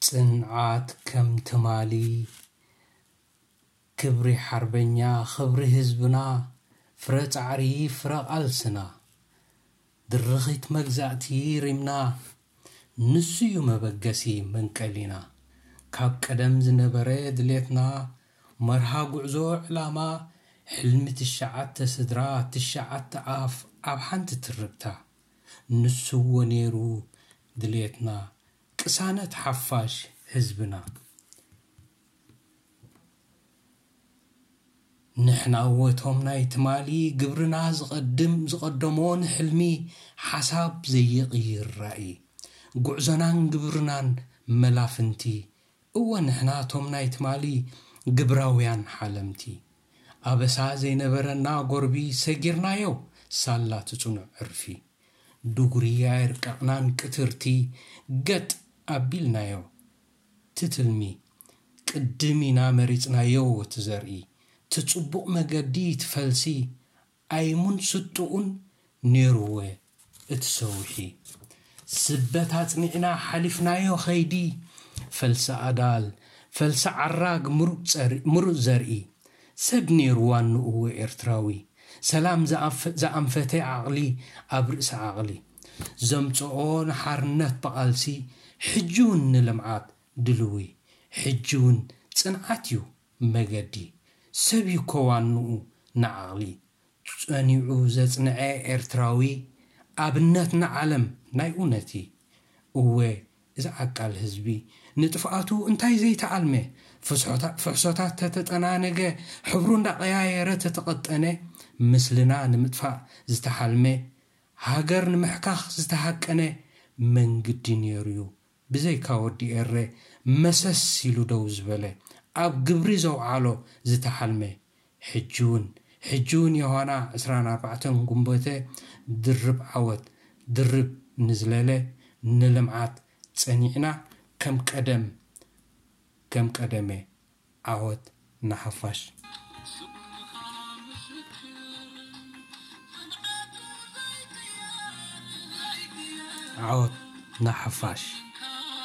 ጽንዓት ከም ትማሊ፣ ክብሪ ሓርበኛ፣ ክብሪ ህዝብና፣ ፍረ ጻዕሪ፣ ፍረ ቃልስና። ድርኺት መግዛእቲ ሪምና፣ ንሱ እዩ መበገሲ መንቀሊና። ካብ ቀደም ዝነበረ ድሌትና፣ መርሃ ጉዕዞ ዕላማ፣ ሕልሚ ትሽዓተ ስድራ፣ ትሽዓተ ኣፍ ኣብ ሓንቲ ትርብታ። ንሱ እዎ ነይሩ ድሌትና፣ ቅሳነት ሓፋሽ ህዝብና። ንሕና እወቶም ናይ ትማሊ፣ ግብርና ዝቐድም ዝቐደሞ ንሕልሚ፣ ሓሳብ ዘይቕይር ራእይ። ጉዕዞናን ግብርናን መላፍንቲ። እወ ንሕና እቶም ናይ ትማሊ፣ ግብራውያን ሓለምቲ። ኣበሳ ዘይነበረና ጎርቢ፣ ሰጊርናዮ ሳላ ትጽኑዕ ዕርፊ። ዱጉሪ ኣየርቀቕናን ቅትርቲ፣ ገጥ ኣቢልናዮ ትትልሚ። ቅድም ኢና መሪጽናዮ እቲ ዘርኢ፣ ትጽቡቕ መገዲ ትፈልሲ፣ ኣይሙን ስጡኡን ነይርወ እቲ ሰውሒ። ስበት ኣጽኒዕና ሓሊፍናዮ ኸይዲ፣ ፈልሲ ኣዳል፣ ፈልሲ ዓራግ፣ ምሩጽ ጸር-፣ ምሩጽ ዘርኢ። ሰብ ነይሩ ዋንኡ ኤርትራዊ፣ ሰላም ዝኣፍ-፣ ዝኣንፈተ ዓቕሊ ኣብ ርእሲ ዓቕሊ። ዘምጽኦ ንሓርነት ብቓልሲ፣ ሕጂ እውን ንልምዓት ድልዊ። ሕጂ እውን ጽንዓት እዩ መገዲ፣ ሰብ እዩ እኮ ዋንኡ ንዓቕሊ። ጸኒዑ ዘጽንዐ ኤርትራዊ፣ ኣብነት ንዓለም ናይ እውነቲ። እወ፣ እዚ ዓቃል ህዝቢ፣ ንጥፍኣቱ እንታይ ዘይተኣልመ? ፍስሖታ-፣ ፍሕሶታት ተተጠናነገ፣ ሕብሩ እንዳቐያየረ ተተቐጠነ፣ ምስልና ንምጥፋእ ዝተሓልመ፣ ሃገር ንምሕካኽ ዝተሃቀነ መንግዲ ነይሩ እዩ። ብዘይካ ወዲ ኤረ መሰስ ኢሉ ደው ዝበለ፣ ኣብ ግብሪ ዘውዓሎ ዝተሓልመ፣ ሕጂ እውን፣ ሕጂ እውን ዮሃና ዕስራን ኣርባዕተን ጉንበተ ድርብ ዓወት፣ ድርብ ንዝለለ ንልምዓት ጸኒዕና ከም ቀደም፣ ከም ቀደመ ዓወት ንሓፋሽ። ዓወት ንሓፋሽ።